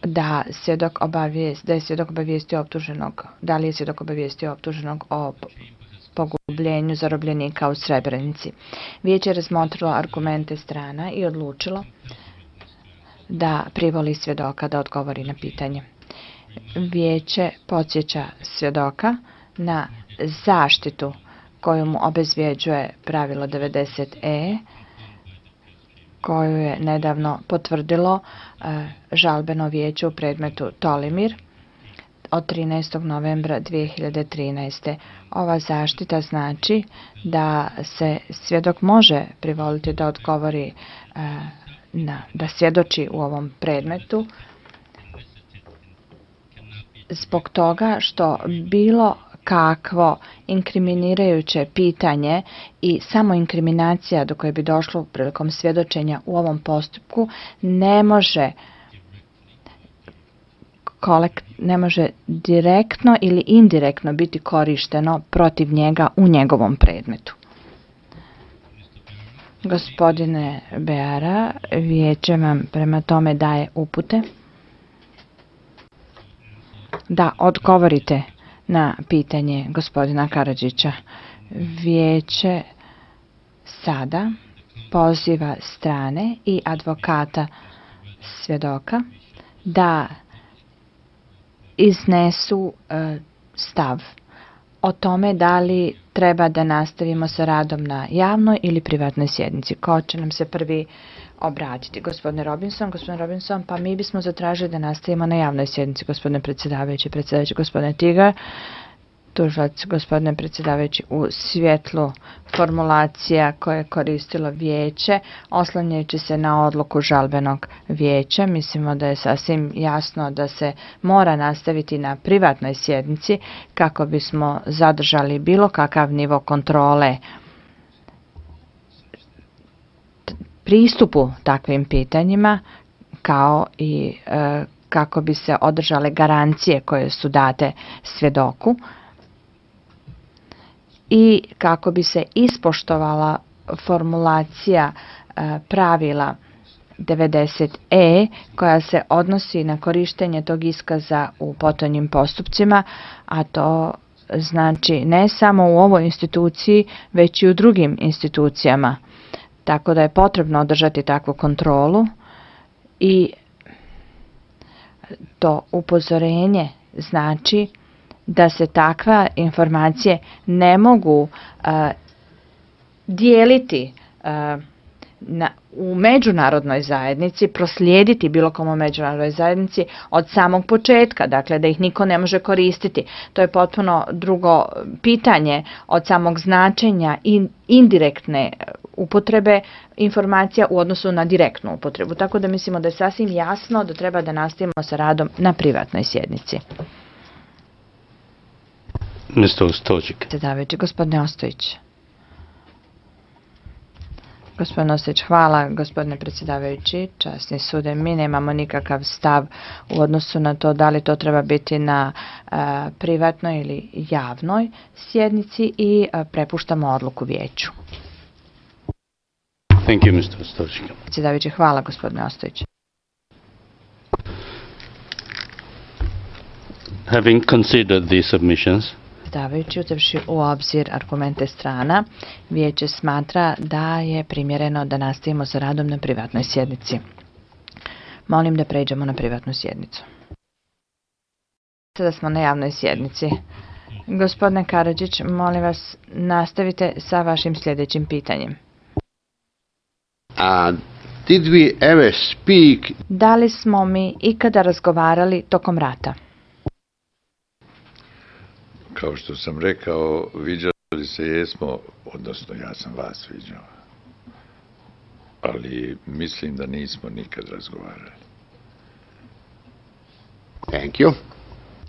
da je svjedok obavijestio optuženog, da li je svjedok obavijestio optuženog o pogubljenju zarobljenika u Srebrenici. Vijeće je razmotrilo argumente strana i odlučilo da privoli svjedoka da odgovori na pitanje. Vijeće podsjeća svjedoka na zaštitu koju mu obezvjeđuje pravilo 90e, koju je nedavno potvrdilo žalbeno vijeće u predmetu Tolimir od 13. novembra 2013. Ova zaštita znači da se svjedok može privoliti da odgovori, da svjedoči u ovom predmetu zbog toga što bilo kakvo inkriminirajuće pitanje i samo inkriminacija do koje bi došlo prilikom svjedočenja u ovom postupku ne može direktno ili indirektno biti korišteno protiv njega u njegovom predmetu. Gospodine Beara, vijeće vam prema tome daje upute da odgovorite na pitanje gospodina Karadžića. Vijeće sada poziva strane i advokata svjedoka da iznesu stav o tome da li treba da nastavimo sa radom na javnoj ili privatnoj sjednici. Ko će nam se prvi obratiti? Gospodine Robinson, pa mi bismo zatražili da nastavimo na javnoj sjednici, gospodine predsjedavajući, gospodine Tigar, tužilac, gospodine predsjedavajući, u svjetlu formulacija koje je koristilo vijeće, oslanjajući se na odluku žalbenog vijeća, mislimo da je sasvim jasno da se mora nastaviti na privatnoj sjednici kako bismo zadržali bilo kakav nivo kontrole pristupu takvim pitanjima, kao i kako bi se održale garancije koje su date svjedoku i kako bi se ispoštovala formulacija pravila 90e koja se odnosi na korištenje tog iskaza u potonjim postupcima, a to znači ne samo u ovoj instituciji, već i u drugim institucijama. Tako da je potrebno održati takvu kontrolu i to upozorenje znači da se takve informacije ne mogu dijeliti u međunarodnoj zajednici, proslijediti bilo kom u međunarodnoj zajednici od samog početka, dakle da ih niko ne može koristiti. To je potpuno drugo pitanje od samog značenja i indirektne upotrebe informacija u odnosu na direktnu upotrebu. Tako da mislimo da je sasvim jasno da treba da nastavimo sa radom na privatnoj sjednici. Gospodine Ostojić. Gospodine Ostojić, hvala gospodine predsjedavajući, časni sude. Mi nemamo nikakav stav u odnosu na to da li to treba biti na privatnoj ili javnoj sjednici i prepuštamo odluku vijeću. Thank you, Mr. Ostojić. Predsjedavajući, hvala gospodine Ostojić. Having considered these submissions, predsjedavajući, uzevši u obzir argumente strana, vijeće smatra da je primjereno da nastavimo sa radom na privatnoj sjednici. Molim da pređemo na privatnu sjednicu. Sada smo na javnoj sjednici. Gospodine Karadžić, molim vas, nastavite sa vašim sljedećim pitanjem. Did we ever speak? Da li smo mi ikada razgovarali tokom rata? Kao što sam rekao, viđali se jesmo, odnosno ja sam vas viđao. Ali mislim da nismo nikad razgovarali. thank you.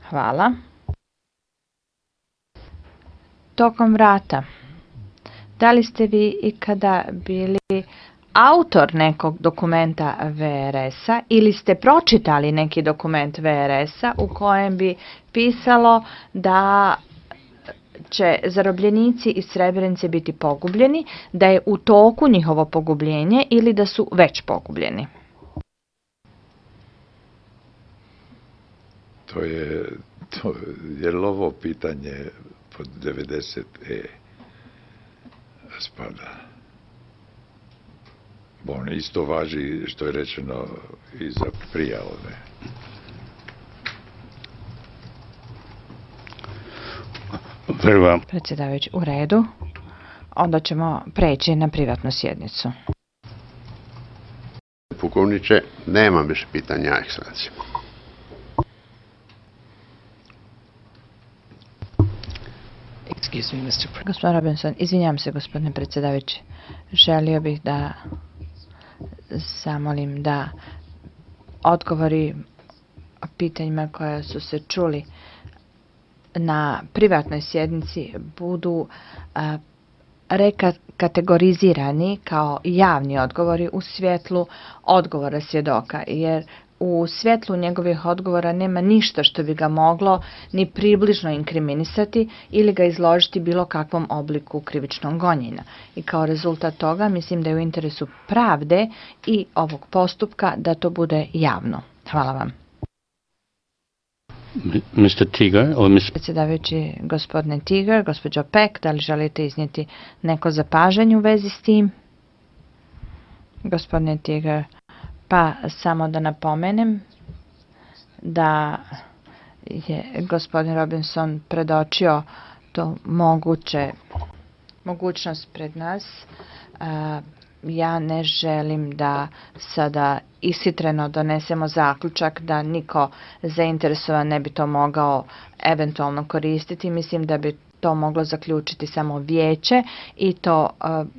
Hvala. Tokom rata, da li ste vi ikada bili autor nekog dokumenta VRS-a ili ste pročitali neki dokument VRS-a u kojem bi pisalo da će zarobljenici iz Srebrenice biti pogubljeni, da je u toku njihovo pogubljenje ili da su već pogubljeni? je li ovo pitanje pod 90E spada? Bon, isto važi što je rečeno i za prije ove. Very well. Predsjedavajući, u redu. Onda ćemo preći na privatnu sjednicu. Pukovniče, nemam više pitanja, ekscelencija. Gospodin Robinson, izvinjam se, gospodine predsjedavajući. Želio bih da zamolim da odgovori o pitanjima koja su se čuli na privatnoj sjednici budu rekategorizirani kao javni odgovori u svjetlu odgovora svjedoka, jer u svjetlu njegovih odgovora nema ništa što bi ga moglo ni približno inkriminisati ili ga izložiti bilo kakvom obliku krivičnog gonjenja. I kao rezultat toga mislim da je u interesu pravde i ovog postupka da to bude javno. Hvala vam. Mr. Tiger or Mr. Predsjedavajući, gospodine Tiger, gospođo Peck, da li želite iznijeti neko zapažanje u vezi s tim? Gospodine Tiger, pa samo da napomenem da je gospodin Robinson predočio to mogućnost pred nas. Ja ne želim da sada ishitreno donesemo zaključak da niko zainteresovan ne bi to mogao eventualno koristiti. Mislim da bi to moglo zaključiti samo vijeće i to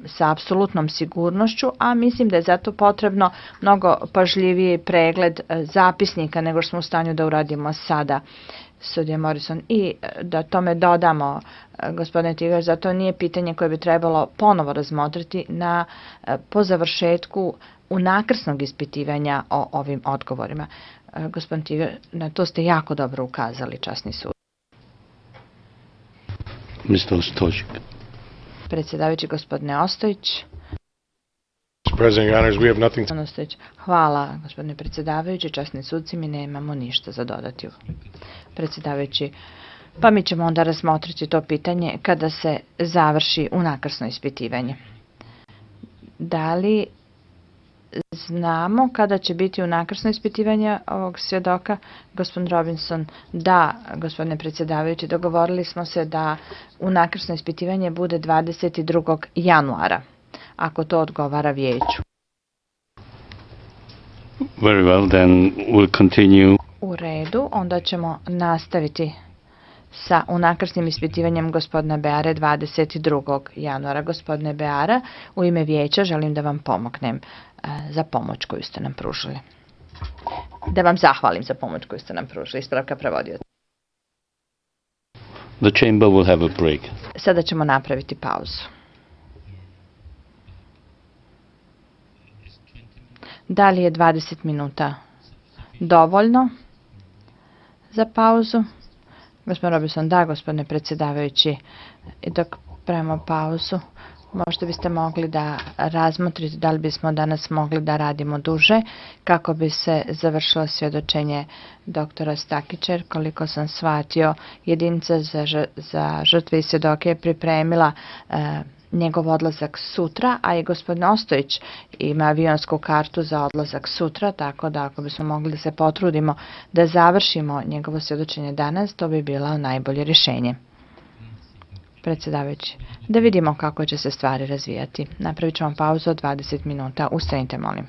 sa apsolutnom sigurnošću, a mislim da je zato potrebno mnogo pažljiviji pregled zapisnika nego što smo u stanju da uradimo sada, sudija Morrison. I da tome dodamo, gospodine Tigar, zato nije pitanje koje bi trebalo ponovo razmotriti po završetku unakrsnog ispitivanja o ovim odgovorima. Gospodin Tigar, na to ste jako dobro ukazali, časni sud. Mr. Ostojić. Predsjedavajući, gospodine Ostojić. Hvala, gospodine predsjedavajući, časni sudci, mi nemamo ništa za dodati. Predsjedavajući, pa mi ćemo onda razmotriti to pitanje kada se završi unakrsno ispitivanje. Da li znamo kada će biti unakrsno ispitivanje ovog svjedoka? Gospodin Robinson, da, gospodine predsjedavajući, dogovorili smo se da unakrsno ispitivanje bude 22. januara, ako to odgovara vijeću. Very well, then we'll continue. U redu, onda ćemo nastaviti sa unakrsnim ispitivanjem gospodina Beare 22. januara. Gospodine Beara, u ime vijeća želim da vam pomognem za pomoć koju ste nam pružili. Da vam zahvalim za pomoć koju ste nam pružili. Ispravka prevodioca. The chamber will have a break. Sada ćemo napraviti pauzu. Da li je 20 minuta dovoljno za pauzu? Gospodin Robinson, da, gospodine predsjedavajući, i dok pravimo pauzu, možda biste mogli da razmotrite da li bismo danas mogli da radimo duže kako bi se završilo svjedočenje doktora Stakića. Koliko sam shvatio, jedinica za žrtve i svjedoke je pripremila njegov odlazak sutra, a i gospodin Ostojić ima avionsku kartu za odlazak sutra, tako da ako bismo mogli da se potrudimo da završimo njegovo svjedočenje danas, to bi bilo najbolje rješenje. Predsjedavajući, da vidimo kako će se stvari razvijati. Napravit ćemo pauzu od 20 minuta. Ustanite, molim.